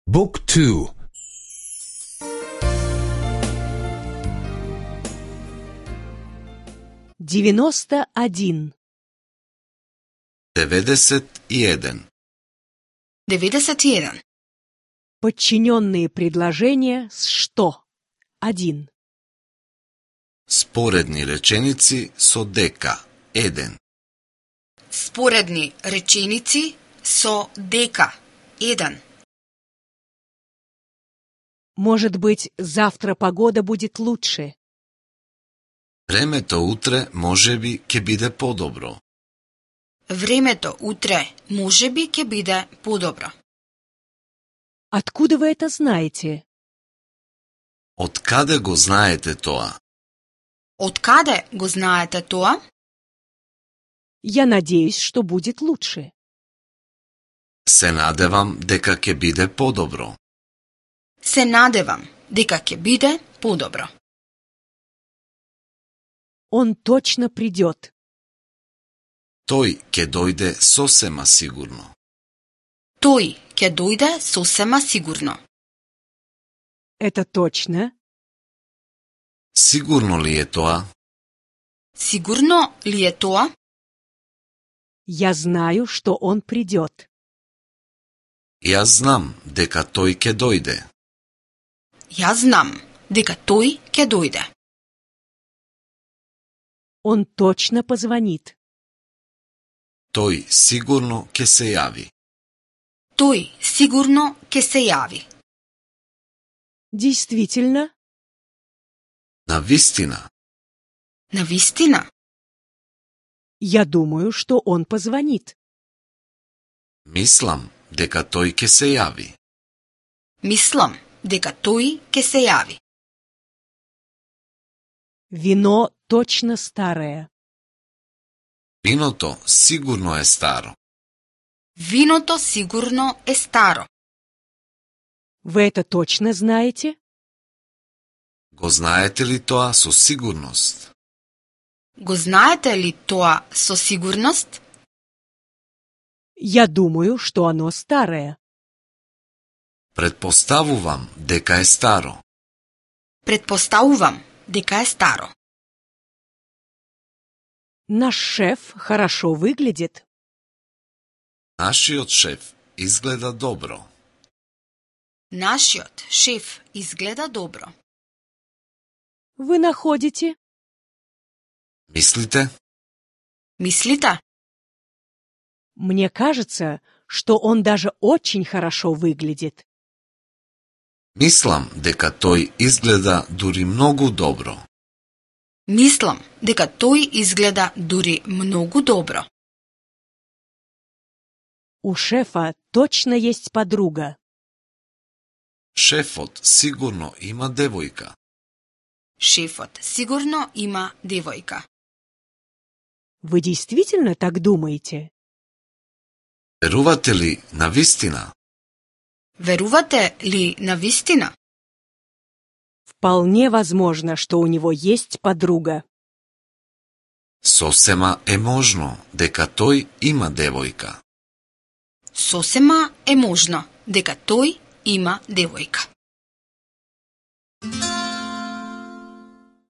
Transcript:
Book 2. 91. 91. 91. Подчиненные предложения с «что». 1. Споредни реченици со дека. 1. Споредни реченици со дека. 1. Может быть, завтра погода будет лучше. Времето утре можеби ќе биде подобро. Времето утре можеби ќе биде подобро. Откуда вы это знаете? Од каде го знаете тоа? Од каде го знаете тоа? Я надеюсь, что будет лучше. Се надевам дека ќе биде подобро. Се надевам дека ќе биде подобро. Он точно придет. Тој ќе дојде сосема сигурно. Тој ќе дојде сосема сигурно. Это точно? Сигурно ли е тоа? Сигурно ли е тоа? Я знаю, что он придет. Јас знам дека тој ќе дојде. Јас знам дека тој ќе дојде. Он точно позвонит. Тој сигурно ќе се јави. Тој сигурно ќе се јави. Действительно? Навистина, Навистина? Я думаю, что он позвонит. мислам дека тој ќе се јави. Мислам дека тој ќе се јави. Вино точно старое. Виното сигурно е старо. Виното сигурно е старо. Вы это точно знаете? Го знаете ли тоа со сигурност? Го знаете ли тоа со сигурност? Я думаю, что оно старое. Предпоставувам дека е старо. Предпоставувам дека е старо. Наш шеф хорошо выглядит. Нашиот шеф изгледа добро. Нашиот шеф изгледа добро. Вы находите? Мислите? Мислите? Мне кажется, что он даже очень хорошо выглядит. Мислам дека тој изгледа дури многу добро. Мислам дека тој изгледа дури многу добро. У шефа точно есть подруга. Шефот сигурно има девојка. Шефот сигурно има девојка. Вы действительно так думаете? Верувате ли навистина? Верувате ли навистина? Вполне возможно, что у него есть подруга. Сосема е можно дека тој има девојка. Сосема е можно дека тој има девојка.